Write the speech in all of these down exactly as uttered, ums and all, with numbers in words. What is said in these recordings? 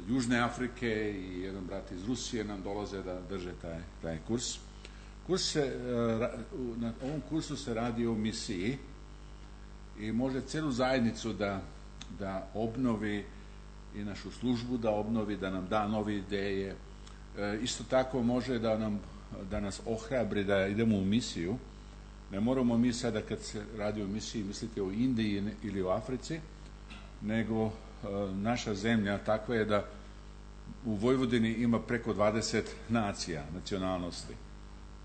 Južne Afrike i jedan brat iz Rusije nam dolaze da drže taj, taj kurs. Kurs se, na ovom kursu se radi o misiji i može cijelu zajednicu da, da obnovi i našu službu da obnovi, da nam da nove ideje. E, isto tako može da, nam, da nas ohrabri da idemo u misiju. Ne moramo mi sada kad se radi o misiji misliti o Indiji ili o Africi, nego e, naša zemlja takva je da u Vojvodini ima preko dvadeset nacija, nacionalnosti.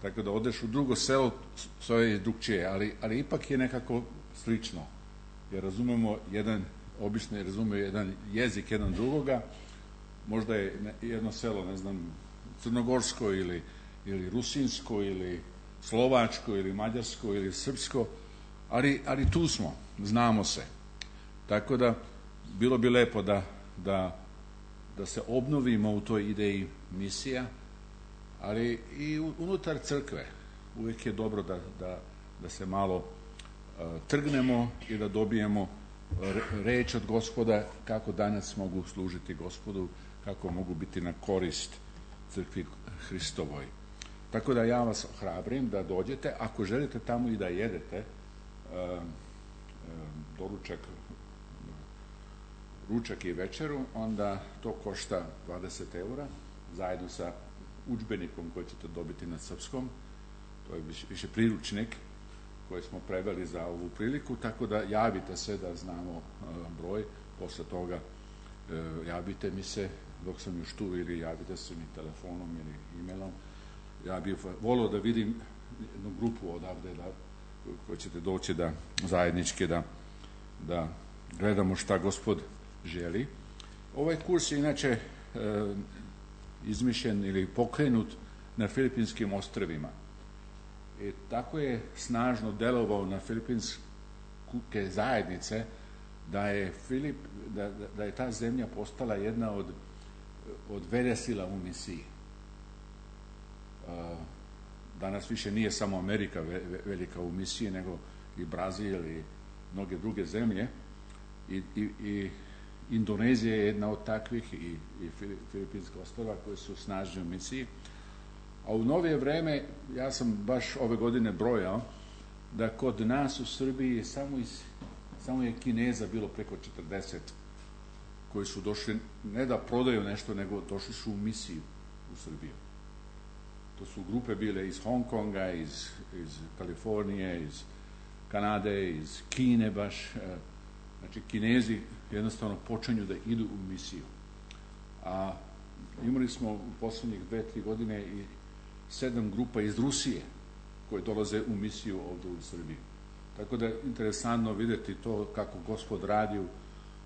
Tako da odeš u drugo selo, to je drugčije, ali, ali ipak je nekako slično. Jer razumemo jedan, obično je razumemo jedan jezik jedan drugoga, možda je jedno selo, ne znam, crnogorsko ili, ili rusinsko ili slovačko ili mađarsko ili srpsko, ali, ali tu smo, znamo se. Tako da bilo bi lepo da, da, da se obnovimo u toj ideji misija, ali i unutar crkve uvijek je dobro da, da, da se malo uh, trgnemo i da dobijemo reč od Gospoda kako danas mogu služiti Gospodu, kako mogu biti na korist crkvi Hristovoj. Tako da ja vas ohrabrim da dođete, ako želite tamo i da jedete uh, uh, doručak, ručak i večeru, onda to košta dvadeset eura zajedno sa udžbenikom koji ćete dobiti na srpskom. To je više, više priručnik koji smo preveli za ovu priliku, tako da javite se da znamo uh, broj, posle toga uh, javite mi se dok sam još tu ili javite se mi telefonom ili e-mailom. Ja bih volio da vidim jednu grupu odavde da, koji ćete doći da zajednički da, da gledamo šta Gospod želi. Ovaj kurs je inače uh, izmišljen ili pokrenut na Filipinskim ostrvima. I tako je snažno delovao na filipinske zajednice da je, Filip, da, da je ta zemlja postala jedna od, od velesila u misiji. Danas više nije samo Amerika velika u misiji, nego i Brazil i mnoge druge zemlje. I, i, i Indonezija je jedna od takvih i, i Filipinska ostrva koje su snažne u misiji. A u novije vreme, ja sam baš ove godine brojao, da kod nas u Srbiji samo, iz, samo je Kineza bilo preko četrdeset koji su došli, ne da prodaju nešto, nego došli su u misiju u Srbiju. To su grupe bile iz Hong Konga, iz, iz Kalifornije, iz Kanade, iz Kine baš. Znači, Kinezi jednostavno počinju da idu u misiju. A imali smo u poslednjih dve, tri godine i sedam grupa iz Rusije koje dolaze u misiju ovdje u Srbiji. Tako da je interesantno vidjeti to kako Gospod radi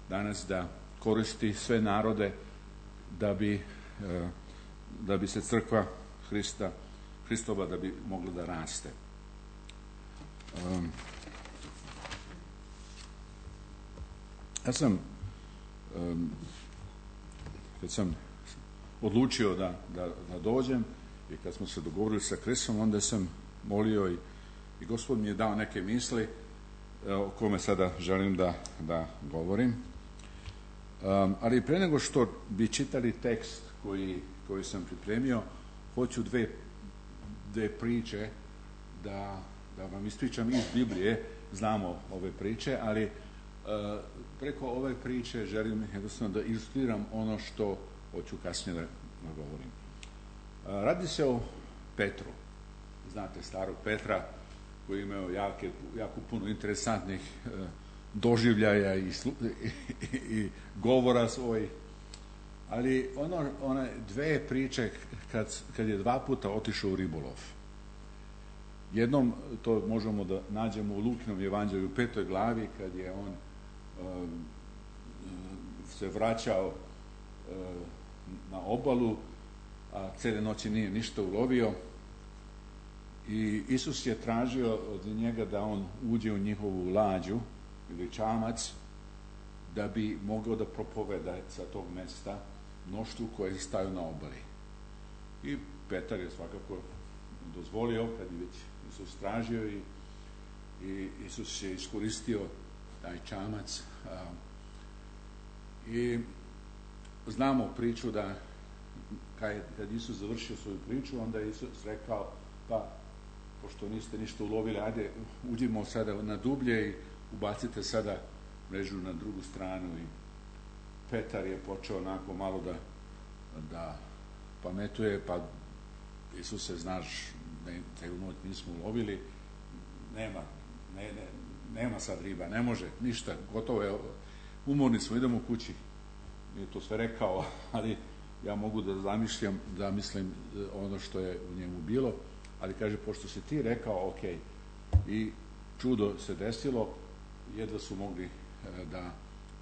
danas da koristi sve narode da bi, da bi se crkva Hrista, Hristova da bi mogla da raste. Um, ja sam um, kad sam odlučio da, da, da dođem i kad smo se dogovorili sa Kristom, onda sam molio i, i Gospod mi je dao neke misli o kome sada želim da, da govorim. Um, ali pre nego što bi čitali tekst koji, koji sam pripremio, hoću dve, dve priče da, da vam ispričam iz Biblije. Znamo ove priče, ali uh, preko ove priče želim jednostavno da ilustriram ono što hoću kasnije da, da govorim. Uh, radi se o Petru. Znate starog Petra koji je imao jake, jako puno interesantnih uh, doživljaja i, slu, i, i govora svojih. Ali ono, one dve priče kad, kad je dva puta otišao u ribolov. Jednom, to možemo da nađemo u Lukinom evanđelju u petoj glavi, kad je on um, se vraćao um, na obalu, a cele noći nije ništa ulovio. I Isus je tražio od njega da on uđe u njihovu lađu ili čamac, da bi mogao da propoveda sa tog mesta mnoštvu koje staju na obali. I Petar je svakako dozvolio, kad je već Isus tražio, i, i Isus je iskoristio taj čamac. A, I znamo priču da kad Isus završio svoju priču, onda je Isus rekao, pa pošto niste ništa ulovili, ajde uđimo sada na dublje i ubacite sada mrežu na drugu stranu. I Petar je počeo onako malo da, da pametuje, pa Isuse, znaš, ne, celu noć nismo ulovili, nema, ne, ne, nema sad riba, ne može, ništa, gotovo je, umorni smo, idemo kući. Nije to sve rekao, ali ja mogu da zamišljam, da mislim ono što je u njemu bilo, ali kaže, pošto si ti rekao, ok, i čudo se desilo, jedva su mogli da,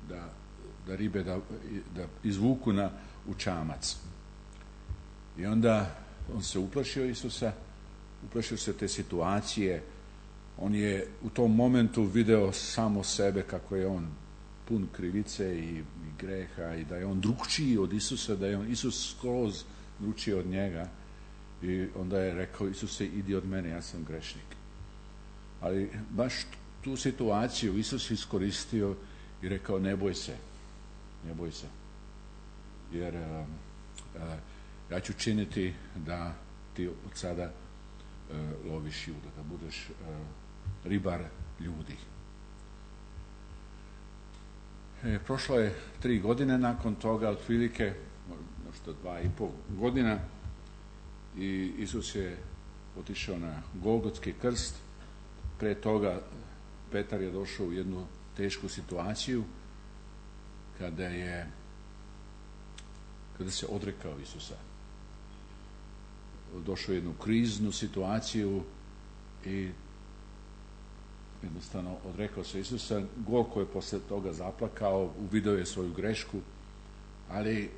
da, da ribe da, da izvuku na, u čamac. I onda on se uplašio Isusa, uplašio se te situacije, on je u tom momentu video samo sebe kako je on pun krivice i, i greha i da je on drugčiji od Isusa, da je on Isus skroz drugčiji od njega. I onda je rekao, Isuse, idi od mene, ja sam grešnik. Ali baš tu situaciju Isus iskoristio i rekao, ne boj se, ne boj se. Jer a, a, ja ću činiti da ti od sada a, loviš ljude, da budeš a, ribar ljudi. E, prošlo je tri godine nakon toga, otprilike, možda dva i pol godina, i Isus je otišao na Golgotski krst. Pre toga Petar je došao u jednu tešku situaciju kada je kada se odrekao Isusa. Došao u jednu kriznu situaciju i jednostavno odrekao se Isusa. Gorko je posle toga zaplakao, uvideo je svoju grešku, ali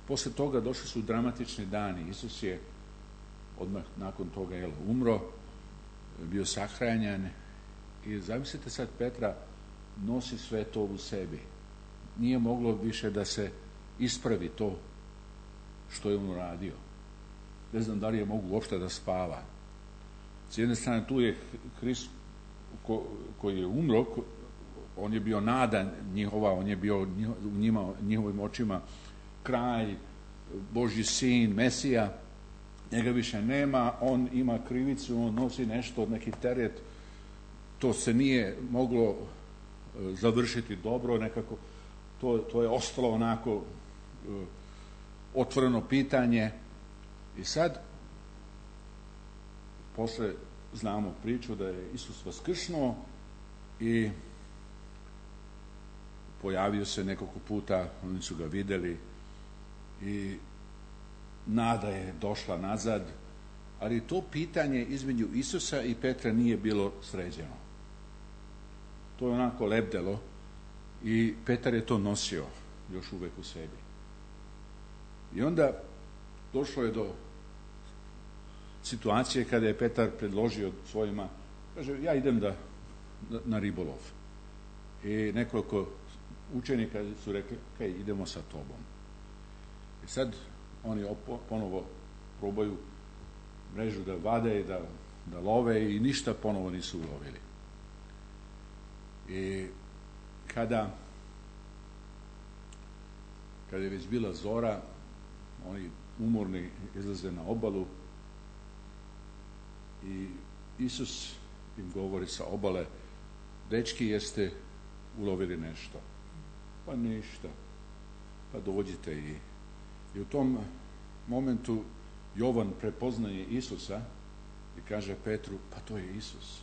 posle toga došli su dramatični dani. Isus je odmah nakon toga jel, umro, bio sahranjen i zamislite sad, Petra nosi sve to u sebi. Nije moglo više da se ispravi to što je on uradio. Ne znam da li je mogu uopšte da spava. S jedne strane tu je Hrist ko, koji je umro, ko, on je bio nada njihova, on je bio u njima, njihovim očima kralj, Božji sin, Mesija. Njega više nema, on ima krivicu, on nosi nešto, neki teret. To se nije moglo završiti dobro, nekako to, to je ostalo onako uh, otvoreno pitanje. I sad posle znamo priču da je Isus vaskrsnuo i pojavio se nekoliko puta, oni su ga videli i nada je došla nazad, ali to pitanje između Isusa i Petra nije bilo sređeno. To je onako lebdelo i Petar je to nosio još uvek u sebi. I onda došlo je do situacije kada je Petar predložio svojima, kaže, ja idem da, da na ribolov. I nekoliko učenika su rekli, ok, idemo sa tobom. I sad oni opo, ponovo probaju mrežu da vade, da, da love i ništa ponovo nisu ulovili. I kada kada je već bila zora, oni umorni izlaze na obalu i Isus im govori sa obale, dečki, jeste ulovili nešto? Pa ništa. Pa dođite. i I u tom momentu Jovan prepoznaje Isusa i kaže Petru, pa to je Isus.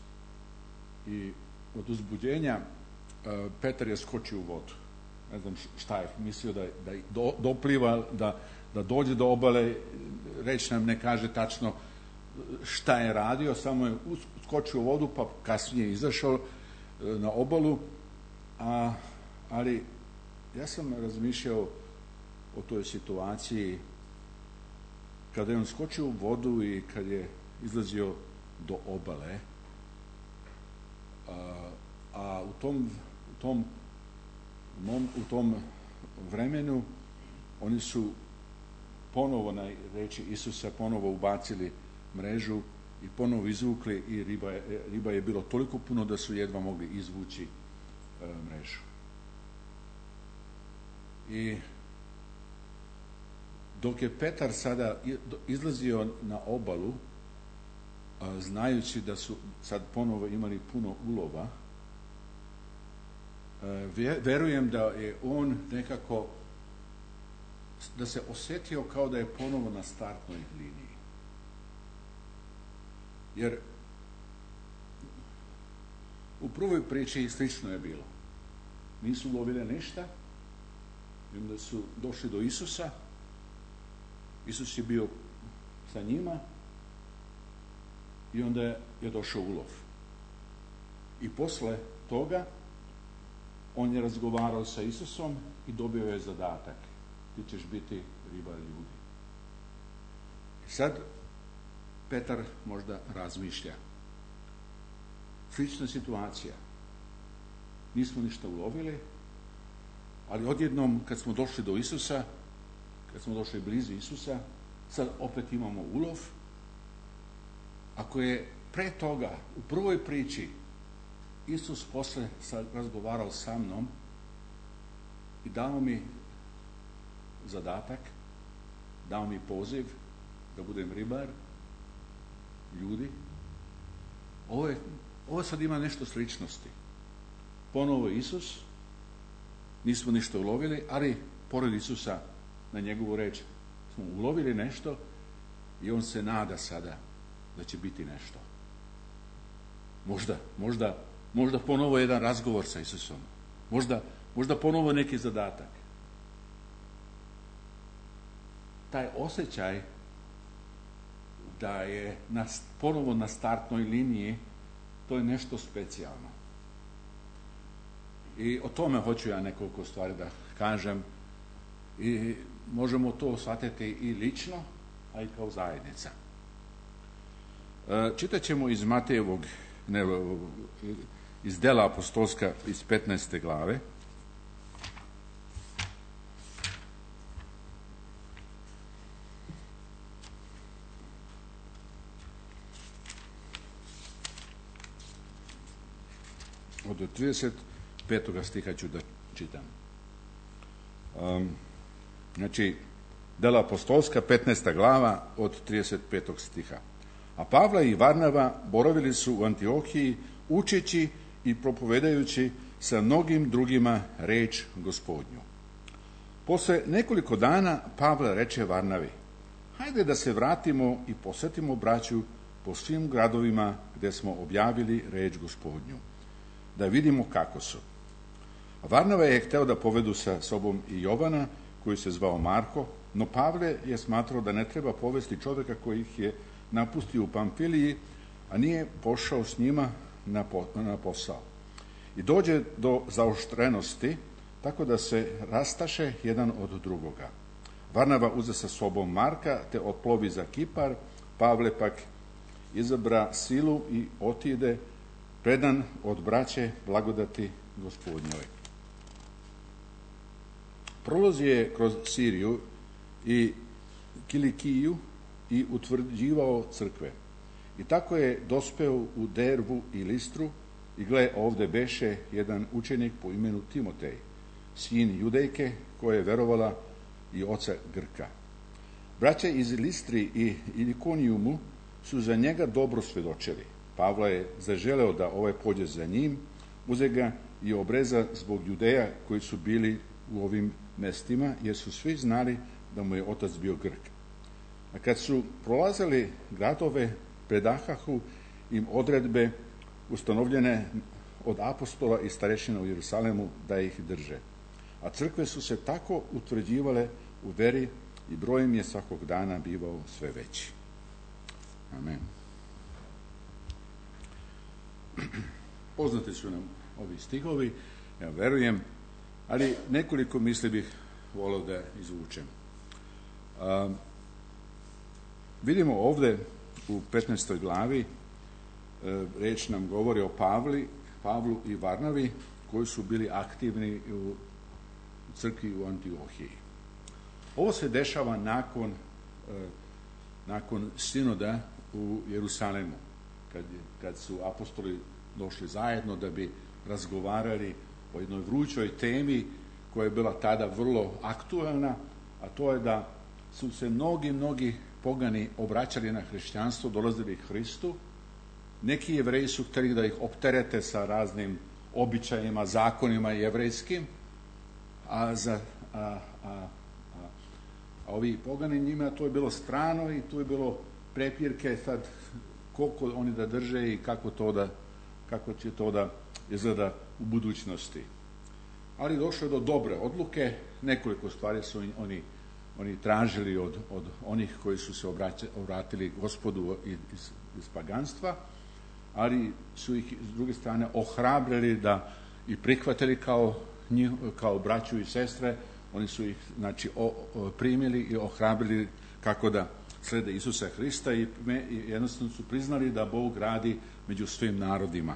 I od uzbuđenja uh, Petar je skočio u vodu. Ne znam šta je mislio, da, da do, dopliva, da, da dođe do obale, reč nam ne kaže tačno šta je radio, samo je skočio u vodu, pa kasnije izašao uh, na obalu. A, ali ja sam razmišljao o toj situaciji kada je on skočio u vodu i kad je izlazio do obale, a, a u tom, u tom u tom vremenu oni su ponovo na reči Isusa ponovo ubacili mrežu i ponovo izvukli i riba je, riba je bilo toliko puno da su jedva mogli izvući e, mrežu. I dok je Petar sada izlazio na obalu, znajući da su sad ponovo imali puno ulova, verujem da je on nekako, da se osjetio kao da je ponovo na startnoj liniji. Jer u prvoj priči slično je bilo. Nisu ulovili ništa, i onda su došli do Isusa, Isus je bio sa njima i onda je došao ulov. I posle toga on je razgovarao sa Isusom i dobio je zadatak. Ti ćeš biti ribar ljudi. I sad Petar možda razmišlja. Slična situacija. Nismo ništa ulovili, ali odjednom kad smo došli do Isusa, kad smo došli blizu Isusa, sad opet imamo ulov. Ako je pre toga, u prvoj priči, Isus posle razgovarao sa mnom i dao mi zadatak, dao mi poziv da budem ribar ljudi, ovo, je, ovo sad ima nešto sličnosti. Ponovo Isus, nismo ništa ulovili, ali pored Isusa na njegovu reč smo ulovili nešto i on se nada sada da će biti nešto. Možda, možda, možda ponovo jedan razgovor sa Isusom. Možda, možda ponovo neki zadatak. Taj osjećaj da je na, ponovo na startnoj liniji, to je nešto specijalno. I o tome hoću ja nekoliko stvari da kažem. I možemo to shvatiti i lično, a i kao zajednica. Čitat ćemo iz Matejevog, ne, iz dela apostolska iz petnaeste glave. Od trideset petog stiha ću da čitam. Um, znači, dela apostolska, petnaesta glava, od trideset petog stiha. A Pavla i Varnava boravili su u Antiohiji, učeći i propovedajući sa mnogim drugima reč Gospodnju. Posle nekoliko dana Pavle reče Varnavi: hajde da se vratimo i posjetimo braću po svim gradovima gde smo objavili reč Gospodnju, da vidimo kako su. Varnava je hteo da povedu sa sobom i Jovana, koji se zvao Marko, no Pavle je smatrao da ne treba povesti čovjeka koji ih je napustio u Pamfiliji, a nije pošao s njima na, po, na posao. I dođe do zaoštrenosti, tako da se rastaše jedan od drugoga. Varnava uze sa sobom Marka, te otplovi za Kipar, Pavle pak izabra silu i otide, predan od braće blagodati Gospodnjove. Prolazi je kroz Siriju i Kilikiju i utvrđivao crkve. I tako je dospeo u Derbu i Listru, i gle, ovde beše jedan učenik po imenu Timotej, sin Judejke, koja je verovala i oca Grka. Braća iz Listri i Ilikonijumu su za njega dobro svedočili. Pavla je zaželeo da ovaj pođe za njim, uze ga i obreza zbog Judeja koji su bili u ovim mestima, jer su svi znali da mu je otac bio Grk. A kad su prolazili gradove, predahahu im odredbe ustanovljene od apostola i starešina u Jerusalemu da ih drže. A crkve su se tako utvrđivale u veri i broj im je svakog dana bivao sve veći. Amen. Poznati su nam ovi stihovi, ja verujem, ali nekoliko misli bih volio da izvučem. Um, vidimo ovde u petnaestoj glavi, e, reč nam govori o Pavli, Pavlu i Varnavi, koji su bili aktivni u crkvi u Antiohiji. Ovo se dešava nakon, e, nakon sinoda u Jerusalemu, kad, kad su apostoli došli zajedno da bi razgovarali o jednoj vrućoj temi koja je bila tada vrlo aktuelna, a to je da su se mnogi, mnogi pogani obraćali na hrišćanstvo, dolazili Hristu. Neki Jevreji su htjeli da ih opterete sa raznim običajima, zakonima jevrejskim, a za a, a, a, a ovi pogani njima to je bilo strano i tu je bilo prepirke sad koliko oni da drže i kako to da kako će to da izgleda u budućnosti. Ali došlo je do dobre odluke, nekoliko stvari su oni, oni tražili od, od onih koji su se obraća, obratili Gospodu iz, iz paganstva, ali su ih s druge strane ohrabrili da i prihvatili kao, njih, kao braću i sestre. Oni su ih znači, o, o, primili i ohrabrili kako da slede Isusa Hrista i, me, i jednostavno su priznali da Bog radi među svim narodima.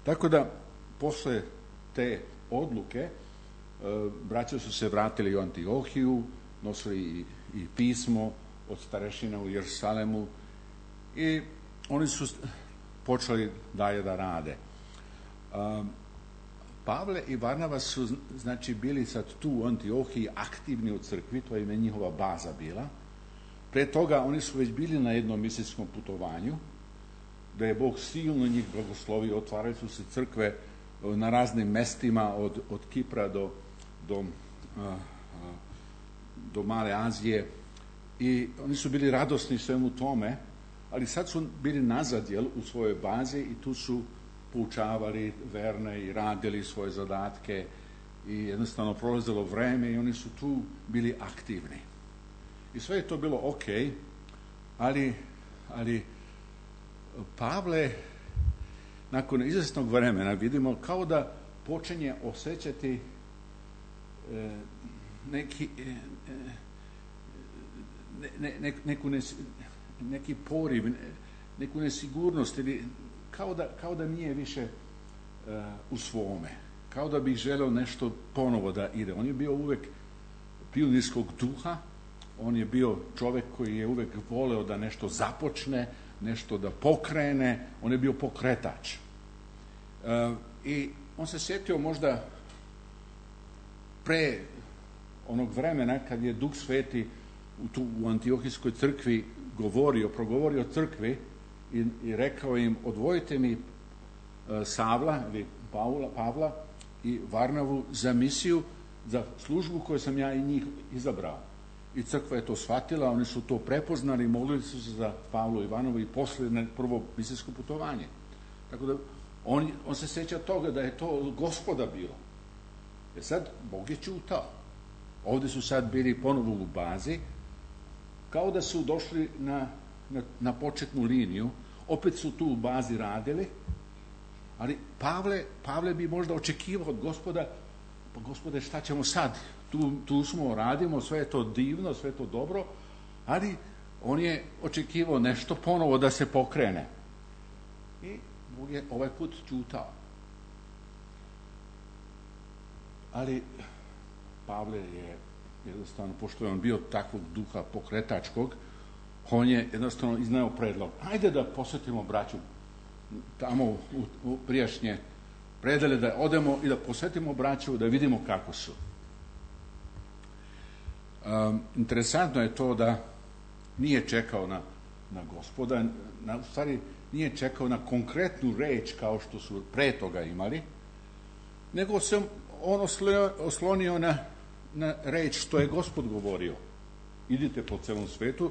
Tako da, posle te odluke, e, braća su se vratili u Antiohiju, nosili i, i pismo od starešina u Jerusalemu i oni su počeli dalje da rade. E, Pavle i Varnava su znači bili sad tu u Antiohiji aktivni u crkvi, to je ime njihova baza bila. Pre toga oni su već bili na jednom misijskom putovanju, da je Bog silno njih blagoslovio, otvarali su se crkve na raznim mestima od, od Kipra do, do, a, a, do Male Azije i oni su bili radosni svemu tome, ali sad su bili nazad jel, u svojoj bazi i tu su poučavali verne i radili svoje zadatke i jednostavno prolazilo vreme i oni su tu bili aktivni. I sve je to bilo ok, ali, ali Pavle nakon izvesnog vremena vidimo kao da počinje osjećati e, neki, e, ne, ne, neku nes, neki poriv, neku nesigurnost ili kao da, kao da nije više e, u svome, kao da bi želeo nešto ponovo da ide. On je bio uvek pionirskog duha, on je bio čovjek koji je uvek voleo da nešto započne, nešto da pokrene, on je bio pokretač. E, I on se sjetio možda pre onog vremena kad je Duh Sveti u, tu, u Antiohijskoj crkvi govorio, progovorio crkvi i, i rekao im odvojite mi e, Savla ili Pavla, Pavla i Varnavu za misiju, za službu koju sam ja i njih izabrao. I crkva je to shvatila, oni su to prepoznali, molili su se za Pavlu i Varnavu i posle na prvo misijsko putovanje. Tako da on, on se sjeća toga da je to Gospoda bilo. Jer sad Bog je čutao. Ovdje su sad bili ponovo u bazi, kao da su došli na, na, na početnu liniju, opet su tu u bazi radili, ali Pavle, Pavle bi možda očekivao od Gospoda, pa Gospode šta ćemo sad? Tu, tu smo, radimo, sve je to divno, sve je to dobro, ali on je očekivao nešto ponovo da se pokrene. I Bog je ovaj put čutao. Ali Pavle je jednostavno, pošto je on bio takvog duha pokretačkog, on je jednostavno izneo predlog. Ajde da posjetimo braću tamo u, u prijašnje predele, da odemo i da posjetimo braću, da vidimo kako su. Um, interesantno je to da nije čekao na, na Gospoda, na, u stvari nije čekao na konkretnu reč kao što su pre toga imali, nego se on oslonio, oslonio na, na reč što je Gospod govorio. Idite po celom svetu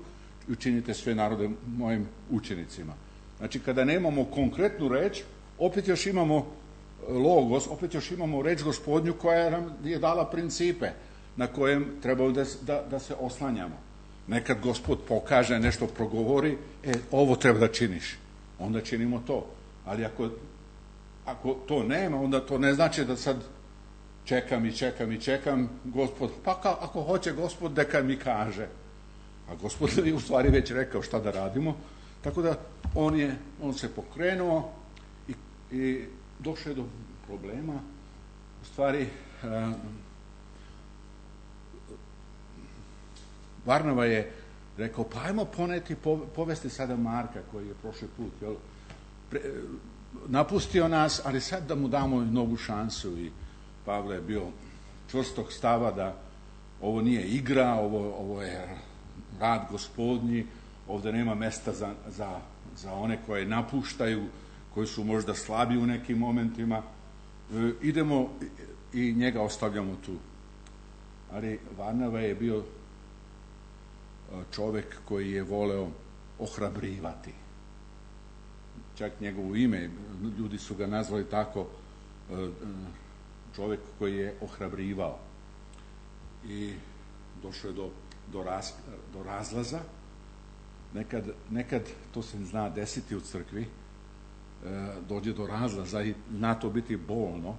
i učinite sve narode mojim učenicima. Znači, kada nemamo konkretnu reč, opet još imamo logos, opet još imamo reč Gospodnju koja nam je dala principe na kojem trebamo da, da, da se oslanjamo. Nekad Gospod pokaže, nešto progovori, e, ovo treba da činiš. Onda činimo to. Ali ako, ako to nema, onda to ne znači da sad čekam i čekam i čekam Gospod. Pa ka, ako hoće Gospod, neka mi kaže. A Gospod je u stvari već rekao šta da radimo. Tako da on, je, on se pokrenuo i, i došao je do problema. U stvari, a, Varnava je rekao, pa ajmo poneti, povesti sada Marka koji je prošli put jel, pre, napustio nas, ali sad da mu damo novu šansu. I Pavle je bio čvrstog stava da ovo nije igra, ovo, ovo je rad gospodnji, ovdje nema mesta za, za, za one koje napuštaju, koji su možda slabi u nekim momentima. E, idemo i njega ostavljamo tu. Ali Varnava je bio čovjek koji je voleo ohrabrivati. Čak njegovo ime, ljudi su ga nazvali tako, čovjek koji je ohrabrivao. I došlo je do, do, raz, do razlaza. Nekad, nekad to se zna desiti u crkvi, dođe do razlaza i zna to biti bolno,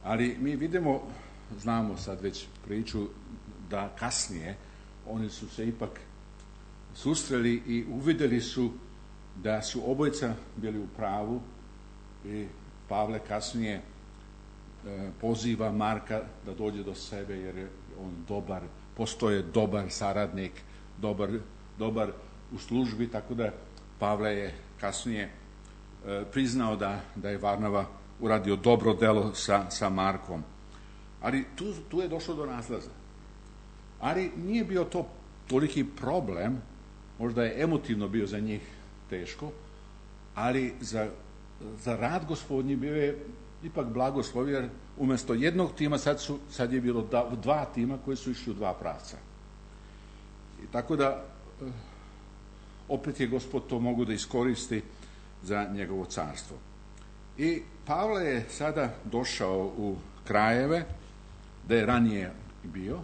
ali mi vidimo, znamo sad već priču, da kasnije oni su se ipak susreli i uvidjeli su da su obojica bili u pravu i Pavle kasnije e, poziva Marka da dođe do sebe jer je on dobar, postoje dobar saradnik, dobar, dobar u službi, tako da Pavle je kasnije e, priznao da, da je Varnava uradio dobro delo sa, sa Markom. Ali tu, tu je došlo do razlaza. Ali nije bio to toliki problem, možda je emotivno bio za njih teško, ali za, za rad gospodnji bio je ipak blagoslov, jer umjesto jednog tima sad, su, sad je bilo da, dva tima koji su išli u dva pravca. I tako da opet je Gospod to mogu da iskoristi za njegovo carstvo. I Pavle je sada došao u krajeve da je ranije bio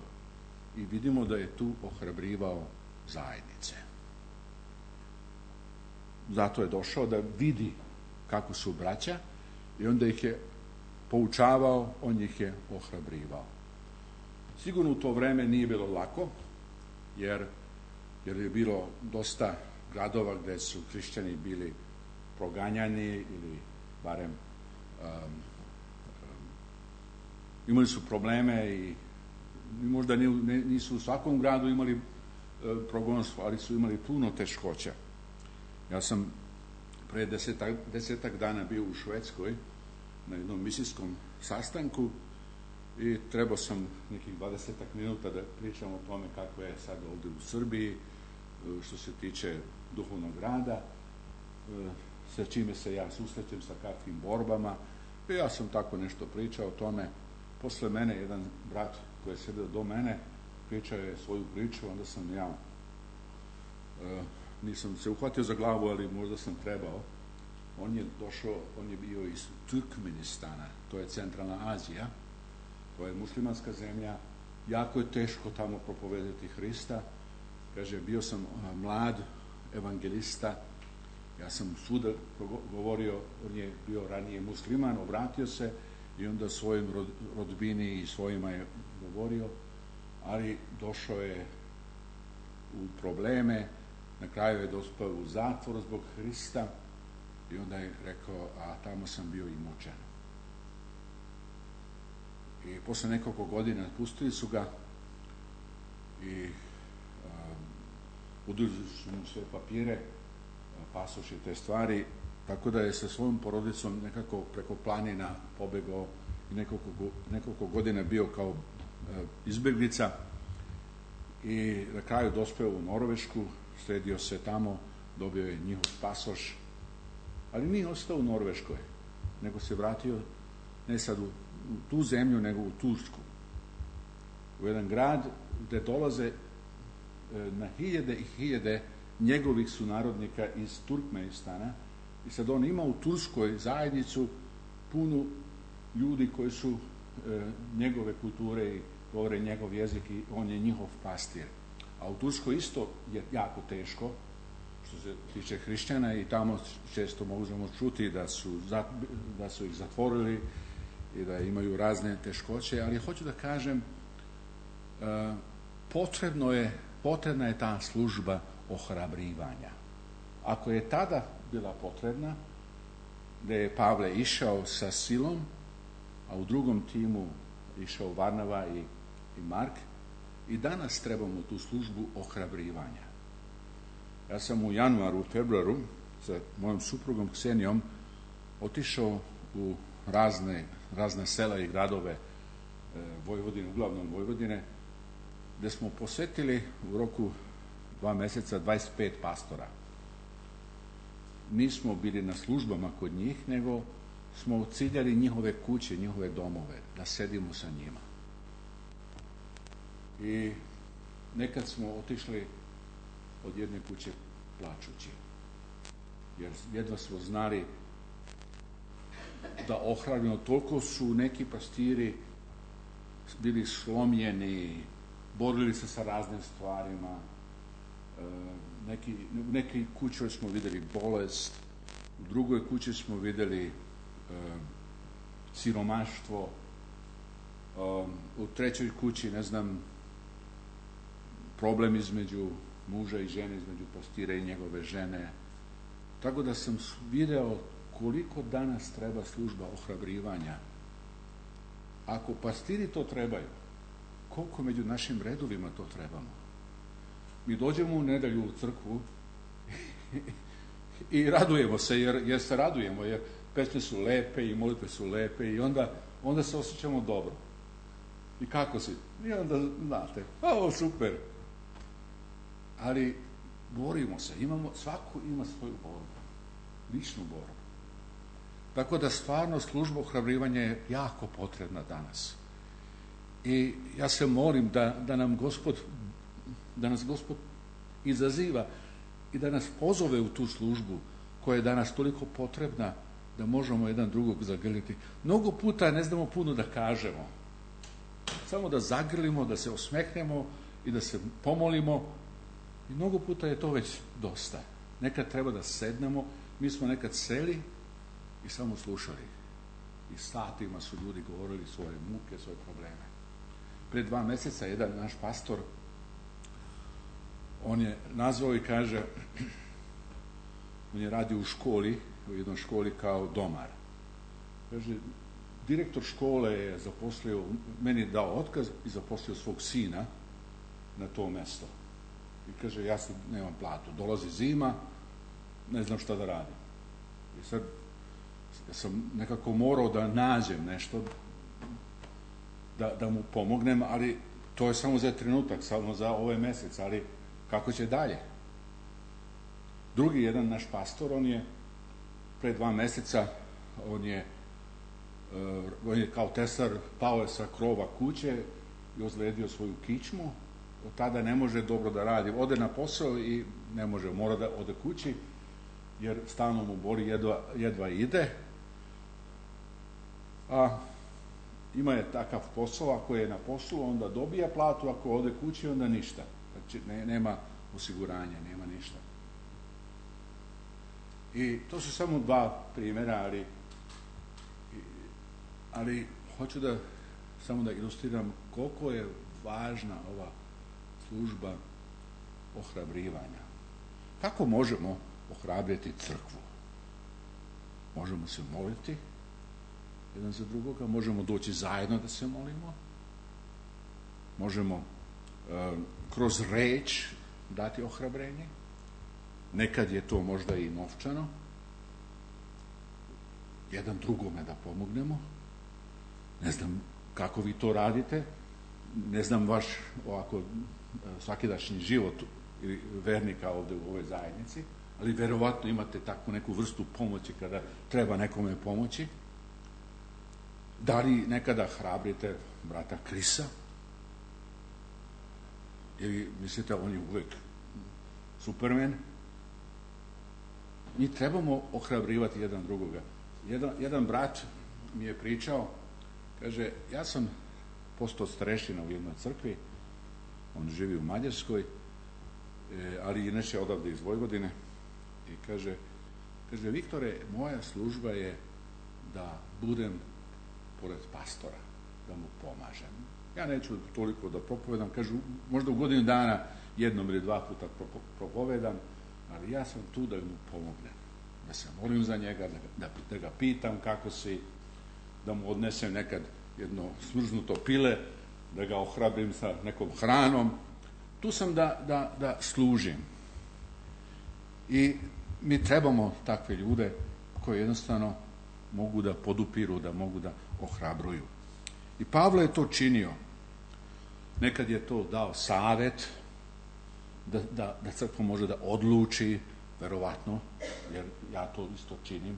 i vidimo da je tu ohrabrivao zajednice. Zato je došao da vidi kako su braća i onda ih je poučavao, on ih je ohrabrivao. Sigurno u to vreme nije bilo lako, jer, jer je bilo dosta gradova gdje su hrišćani bili proganjani ili barem um, um, imali su probleme i možda nisu u svakom gradu imali uh, progonstvo, ali su imali puno teškoća. Ja sam pre desetak, desetak dana bio u Švedskoj na jednom misijskom sastanku i trebao sam nekih dvadesetak minuta da pričam o tome kako je sad ovdje u Srbiji što se tiče duhovnog rada, sa čime se ja susrećem, sa kakvim borbama. I ja sam tako nešto pričao o tome. Posle mene jedan brat koji je sjedio do mene pričao je svoju priču, onda sam ja nisam se uhvatio za glavu, ali možda sam trebao. On je došao, on je bio iz Turkmenistana, to je centralna Azija, to je muslimanska zemlja, jako je teško tamo propovedati Hrista. Kaže, bio sam mlad evangelista, ja sam svuda govorio, on je bio ranije musliman, obratio se i onda svojim rodbini i svojima je govorio, ali došao je u probleme, na kraju je dospao u zatvor zbog Hrista i onda je rekao, a tamo sam bio i mučen. I posle nekoliko godina pustili su ga i um, uduzeli su mu sve papire, pasoš i te stvari, tako da je sa svojom porodicom nekako preko planina pobegao i nekoliko, nekoliko godina bio kao uh, izbjeglica i na kraju dospeo u Norvešku, sredio se tamo, dobio je njihov pasoš, ali nije ostao u Norveškoj, nego se vratio ne sad u, u tu zemlju, nego u Tursku. U jedan grad gdje dolaze e, na hiljade i hiljade njegovih sunarodnika iz Turkmenistana i sad on ima u Turskoj zajednicu puno ljudi koji su e, njegove kulture i govore njegov jezik i on je njihov pastir. A u Turskoj isto je jako teško što se tiče hrišćana i tamo često možemo čuti da su, da su ih zatvorili i da imaju razne teškoće, ali hoću da kažem potrebno je, potrebna je ta služba ohrabrivanja. Ako je tada bila potrebna, da je Pavle išao sa silom, a u drugom timu išao Varnava i, i Mark, i danas trebamo tu službu ohrabrivanja. Ja sam u januaru, u februaru sa mojom suprugom Ksenijom otišao u razne, razne sela i gradove e, Vojvodine, uglavnom Vojvodine, gdje smo posjetili u roku dva mjeseca dvadeset pet pastora. Nismo bili na službama kod njih, nego smo ciljali njihove kuće, njihove domove, da sedimo sa njima. I nekad smo otišli od jedne kuće plačući, jer jedva smo znali da ohrabrimo. Toliko su neki pastiri bili slomljeni, borili se sa raznim stvarima. Neki, u nekoj kući smo vidjeli bolest, u drugoj kući smo vidjeli e, siromaštvo, e, u trećoj kući, ne znam, problem između muža i žene, između pastira i njegove žene. Tako da sam video koliko danas treba služba ohrabrivanja. Ako pastiri to trebaju, koliko među našim redovima to trebamo? Mi dođemo u nedjelju u crkvu i radujemo se, jer, jer se radujemo, jer pesme su lepe i molitve su lepe i onda, onda se osjećamo dobro. I kako si? I onda, znate, o, super. Ali borimo se, imamo, svako ima svoju borbu, ličnu borbu. Tako da stvarno služba ohrabrivanja je jako potrebna danas. I ja se molim da, da nam Gospod da nas Gospod izaziva i da nas pozove u tu službu koja je danas toliko potrebna da možemo jedan drugog zagrliti. Mnogo puta ne znamo puno da kažemo. Samo da zagrlimo, da se osmeknemo i da se pomolimo. I mnogo puta je to već dosta. Nekad treba da sednemo. Mi smo nekad seli i samo slušali. I satima su ljudi govorili svoje muke, svoje probleme. Pred dva mjeseca jedan naš pastor, on je nazvao i kaže, on je radio u školi, u jednoj školi kao domar. Kaže, direktor škole je zaposlio, meni dao otkaz i zaposlio svog sina na to mjesto. I kaže, ja sad nemam platu, dolazi zima, ne znam šta da radim. I sad ja sam nekako morao da nađem nešto, da, da mu pomognem, ali to je samo za trenutak, samo za ovaj mjesec, ali kako će dalje? Drugi jedan naš pastor, on je pre dva mjeseca, on je, uh, on je kao tesar pao je sa krova kuće i ozlijedio svoju kičmu. Od tada ne može dobro da radi. Ode na posao i ne može, mora da ode kući, jer stalno mu boli, jedva, jedva ide. A ima je takav posao, ako je na poslu, onda dobija platu, ako ode kući, onda ništa. Znači, ne, nema osiguranja, nema ništa. I to su samo dva primjera, ali, ali hoću da samo da ilustriram koliko je važna ova služba ohrabrivanja. Kako možemo ohrabriti crkvu? Možemo se moliti jedan za drugoga, možemo doći zajedno da se molimo, možemo uh, kroz reč dati ohrabrenje, nekad je to možda i novčano, jedan drugome da pomognemo. Ne znam kako vi to radite, ne znam vaš ovako svakidašnji život ili vernika ovdje u ovoj zajednici, ali verovatno imate takvu neku vrstu pomoći kada treba nekome pomoći. Da li nekada hrabrite brata Krisa? Ili mislite on je uvijek Superman? Mi trebamo ohrabrivati jedan drugoga. Jedan, jedan brat mi je pričao, kaže, ja sam postao starešina u jednoj crkvi, on živi u Mađarskoj, ali inače odavde iz Vojvodine, i kaže, kaže, Viktore, moja služba je da budem pored pastora, da mu pomažem. Ja neću toliko da propovedam, kažu, možda u godinu dana jednom ili dva puta propovedam, ali ja sam tu da mu pomognem, da se molim za njega, da, da, da ga pitam kako si, da mu odnesem nekad jedno smrznuto pile, da ga ohrabrim sa nekom hranom. Tu sam da, da, da služim. I mi trebamo takve ljude koji jednostavno mogu da podupiru, da mogu da ohrabruju. I Pavle je to činio. Nekad je to dao savjet, da, da, da crkva može da odluči, verovatno, jer ja to isto činim,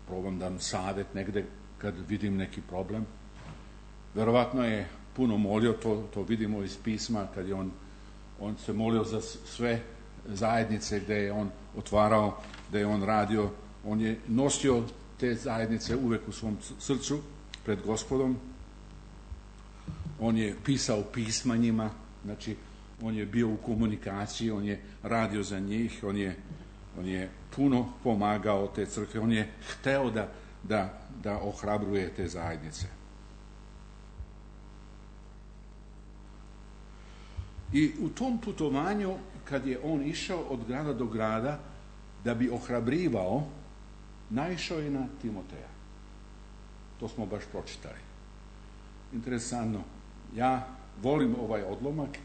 probam dam savjet negde kad vidim neki problem. Verovatno je puno molio, to, to vidimo iz pisma, kad je on, on se molio za sve zajednice gde je on otvarao, gde je on radio, on je nosio te zajednice uvek u svom srcu pred Gospodom. On je pisao pisma njima, znači on je bio u komunikaciji, on je radio za njih, on je, on je puno pomagao te crkve, on je hteo da, da, da ohrabruje te zajednice. I u tom putovanju, kad je on išao od grada do grada, da bi ohrabrivao, naišao je na Timoteja. To smo baš pročitali. Interesantno. Ja volim ovaj odlomak,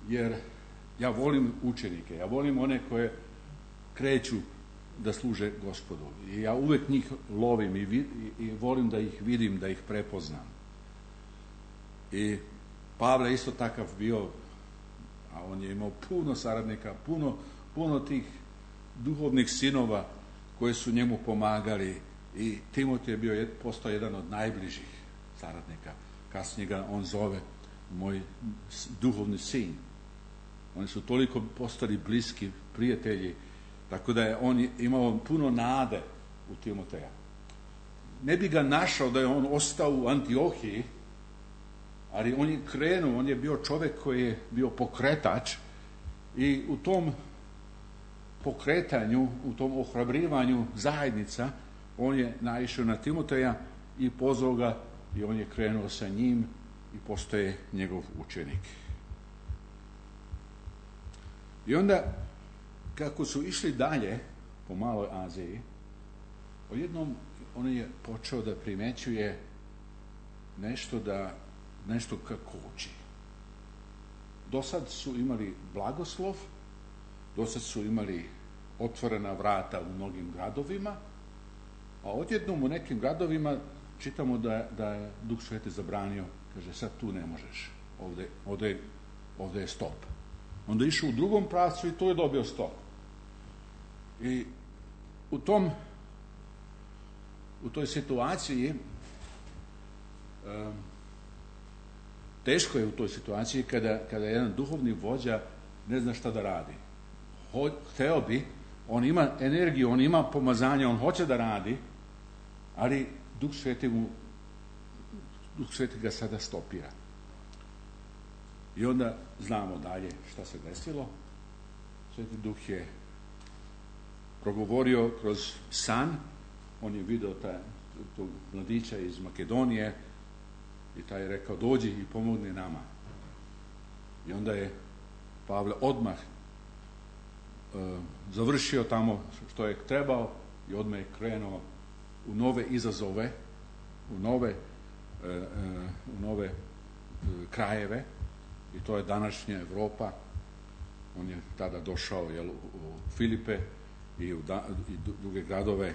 jer ja volim učenike, ja volim one koje kreću da služe Gospodu. I ja uvek njih lovim i, vid, i, i volim da ih vidim, da ih prepoznam. I Pavle isto takav bio, a on je imao puno saradnika, puno, puno tih duhovnih sinova koji su njemu pomagali, i Timotej je bio, postao jedan od najbližih saradnika. Kasnije ga on zove moj duhovni sin. Oni su toliko postali bliski prijatelji, tako da je on imao puno nade u Timoteja. Ne bi ga našao da je on ostao u Antiohiji, ali on je krenuo, on je bio čovjek koji je bio pokretač, i u tom pokretanju, u tom ohrabrivanju zajednica, on je naišao na Timoteja i pozvao ga, i on je krenuo sa njim i postaje njegov učenik. I onda, kako su išli dalje po Maloj Aziji, odjednom on je počeo da primećuje nešto da nešto kako uči. Do sad su imali blagoslov, do sad su imali otvorena vrata u mnogim gradovima, a odjednom u nekim gradovima čitamo da, da je Duh Sveti zabranio, kaže sad tu ne možeš, ovde, ovde, ovde je stop. Onda je išao u drugom pravcu i tu je dobio stop. I u tom u toj situaciji um, teško je u toj situaciji kada, kada jedan duhovni vođa ne zna šta da radi. Ho, hteo bi, on ima energiju, on ima pomazanje, on hoće da radi, ali Duh Sveti mu, Duh Sveti ga sada stopira. I onda znamo dalje šta se desilo. Sveti Duh je progovorio kroz san, on je vidio taj, tog mladića iz Makedonije, i taj je rekao, dođi i pomogni nama. I onda je Pavle odmah e, završio tamo što je trebao i odmah je krenuo u nove izazove, u nove, e, e, u nove e, krajeve, i to je današnja Evropa. On je tada došao, jel, u Filipe i u da, i druge gradove, e,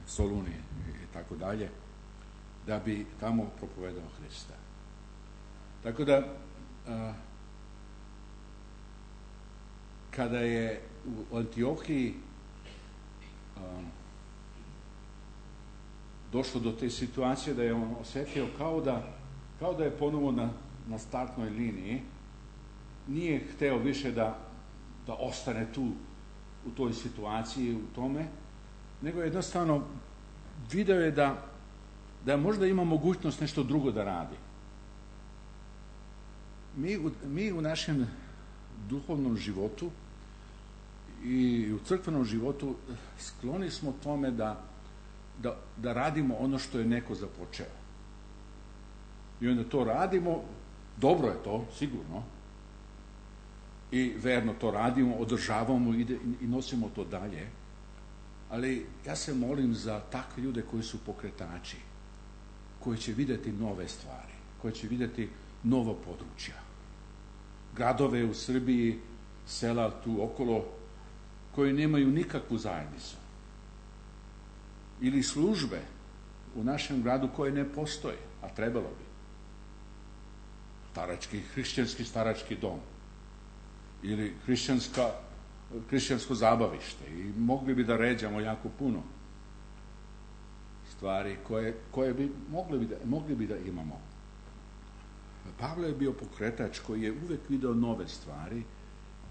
Soluni i tako dalje, da bi tamo propovedao Hrista. Tako da, a, kada je u Antiohiji a, došlo do te situacije da je on osjetio kao da, kao da je ponovo na, na startnoj liniji, nije hteo više da, da ostane tu u toj situaciji, u tome, nego jednostavno video je da da možda ima mogućnost nešto drugo da radi. Mi u, mi u našem duhovnom životu i u crkvenom životu skloni smo tome da, da, da radimo ono što je neko započeo. I onda to radimo, dobro je to, sigurno, i verno to radimo, održavamo i, i nosimo to dalje, ali ja se molim za takve ljude koji su pokretači, koji će vidjeti nove stvari, koji će vidjeti nova područja. Gradove u Srbiji, sela tu okolo, koji nemaju nikakvu zajednicu. Ili službe u našem gradu koje ne postoje, a trebalo bi. Starački, hrišćanski starački dom. ili hrišćanska, hrišćansko zabavište i mogli bi da ređamo jako puno stvari koje, koje bi mogli bi, da, mogli bi da imamo. Pavle je bio pokretač koji je uvek video nove stvari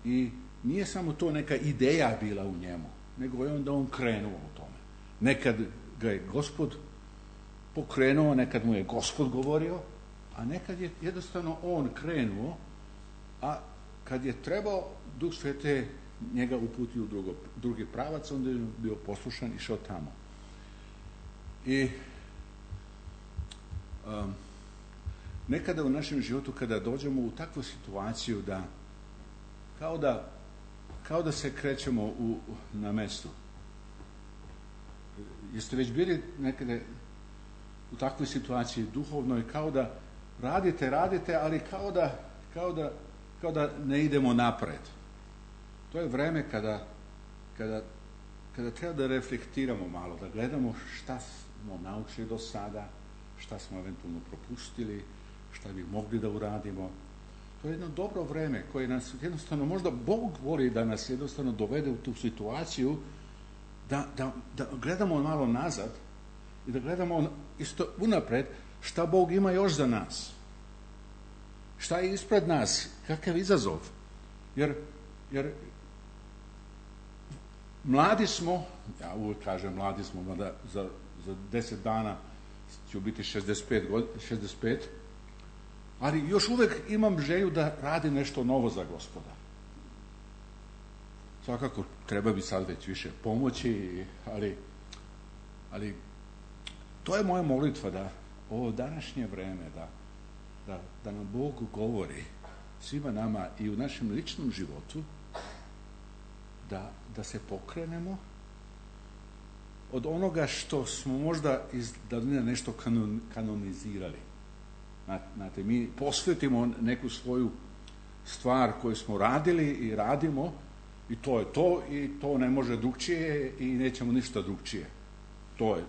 i nije samo to neka ideja bila u njemu, nego je onda on krenuo u tome. Nekad ga je Gospod pokrenuo, nekad mu je Gospod govorio, a nekad je jednostavno on krenuo, a kad je trebao, Duh Sveti njega uputio u drugo, drugi pravac, onda je bio poslušan i išao tamo. I um, nekada u našem životu, kada dođemo u takvu situaciju da kao da, kao da se krećemo u, na mestu. Jeste već bili nekada u takvoj situaciji duhovnoj, kao da radite, radite, ali kao da, kao da, kao da ne idemo napred. To je vreme kada, kada, kada treba da reflektiramo malo, da gledamo šta smo naučili do sada, šta smo eventualno propustili, šta bi mogli da uradimo. To je jedno dobro vreme koje nas jednostavno, možda Bog voli da nas jednostavno dovede u tu situaciju da, da, da gledamo malo nazad i da gledamo isto unapred šta Bog ima još za nas. Šta je ispred nas, kakav izazov. Jer, jer mladi smo, ja uvijek kažem mladi smo, mada za, za deset dana ću biti šezdeset pet, šezdeset pet, ali još uvijek imam želju da radim nešto novo za Gospoda. Svakako treba bi sad već više pomoći, ali, ali to je moja molitva da ovo današnje vreme, da, da, da nam Bog govori svima nama i u našem ličnom životu, da, da se pokrenemo od onoga što smo možda iz davnina nešto kanon, kanonizirali. Znate, mi posvetimo neku svoju stvar koju smo radili i radimo i to je to i to ne može drugčije i nećemo ništa drugčije. To je.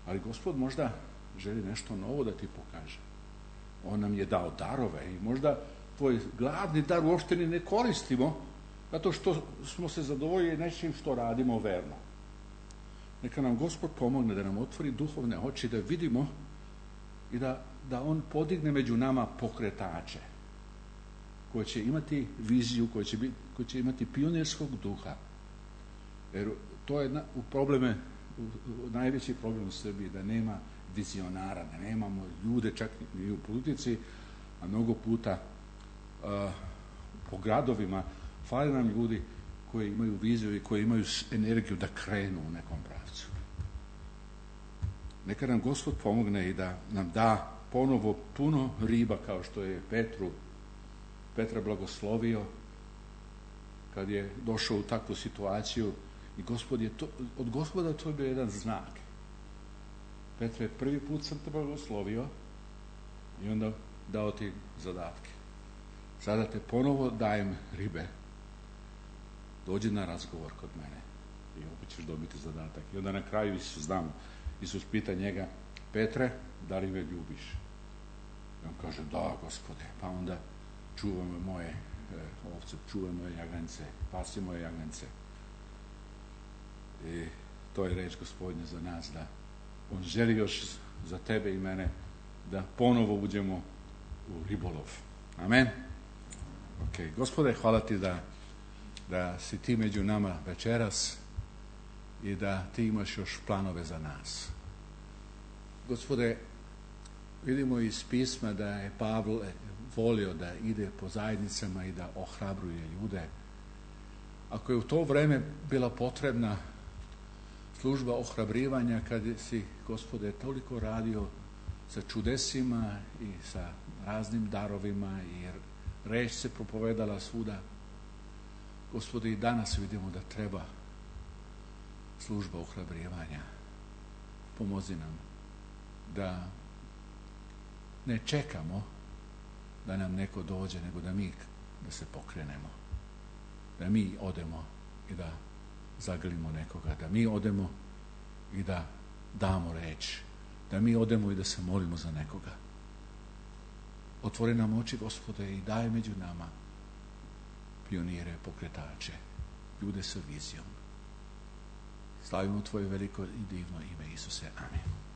Ali Gospod možda želi nešto novo da ti pokaže. On nam je dao darove i možda tvoj glavni dar uopšte ni ne koristimo zato što smo se zadovoljili nečim što radimo verno. Neka nam Gospod pomogne da nam otvori duhovne oči, da vidimo i da, da on podigne među nama pokretače koji će imati viziju, koji će, biti, koji će imati pionirskog duha. Jer to je na, u probleme, u, u, najveći problem u Srbiji, da nema vizionara, da nemamo ljude čak i u politici, a mnogo puta uh, po gradovima fali nam ljudi koji imaju viziju i koji imaju energiju da krenu u nekom pravcu. Neka nam Gospod pomogne i da nam da ponovo puno riba kao što je Petru, Petra blagoslovio kad je došao u takvu situaciju i Gospod je to, od Gospoda to je bio jedan znak. Petre, prvi put sam te blagoslovio i onda dao ti zadatke. Sada te ponovo dajem ribe. Dođi na razgovor kod mene i opet ćeš dobiti zadatak. I onda na kraju Isus, znam, Isus pita njega, Petre, da li me ljubiš? I on kaže, da, Gospode. Pa onda čuvaj moje e, ovce, čuvaj moje jagance, pasi moje jagance. I to je reč Gospodnja za nas, da on želi još za tebe i mene da ponovo uđemo u ribolov. Amen. Ok, Gospode, hvala ti da da si ti među nama večeras i da ti imaš još planove za nas. Gospode, vidimo iz pisma da je Pavle volio da ide po zajednicama i da ohrabruje ljude. Ako je u to vreme bila potrebna služba ohrabrivanja, kad si, Gospode, toliko radio sa čudesima i sa raznim darovima i reč se propovedala svuda, Gospode, i danas vidimo da treba služba ohrabrivanja. Pomozi nam da ne čekamo da nam neko dođe, nego da mi da se pokrenemo. Da mi odemo i da zagrlimo nekoga. Da mi odemo i da damo reč. Da mi odemo i da se molimo za nekoga. Otvori nam oči, Gospode, i daj među nama pionire, pokretače, ljude sa vizijom. Slavimo tvoje veliko i divno ime, Isuse. Amin.